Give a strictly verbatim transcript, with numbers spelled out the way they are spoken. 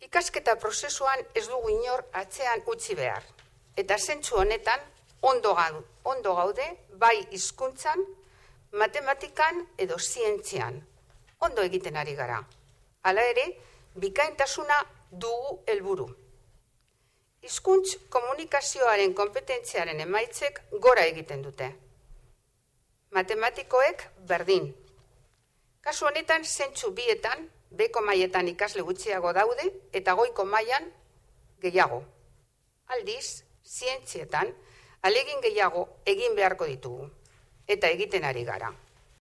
Ikasketa prozesuan ez dugu inor atzean utzi behar. Eta zentzu honetan ondo gaude bai hizkuntzan, matematikan edo zientzian. Ondo egiten ari gara. Hala ere, bikaintasuna dugu helburu. Hizkuntz komunikazioaren konpetentziaren emaitzek gora egiten dute. Matematikoek berdin. Kasu honetan zentzu bietan, beko mailetan ikasle gutxiago daude eta goiko mailan gehiago. Aldiz, zientzietan, ahalegin gehiago egin beharko ditugu eta egiten ari gara.